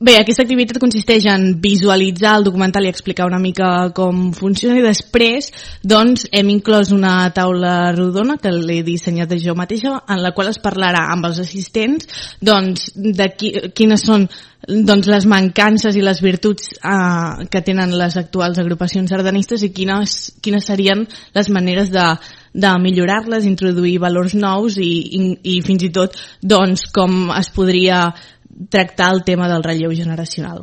Bé, aquesta activitat consisteix en visualitzar el documental i explicar una mica com funciona, i després doncs, hem inclòs una taula rodona que l'he dissenyat jo mateixa, en la qual es parlarà amb els assistents doncs, de quines són doncs, les mancances i les virtuts que tenen les actuals agrupacions sardanistes i quines serien les maneres de millorar-les, introduir valors nous i fins i tot doncs, com es podria tractar el tema del relleu generacional.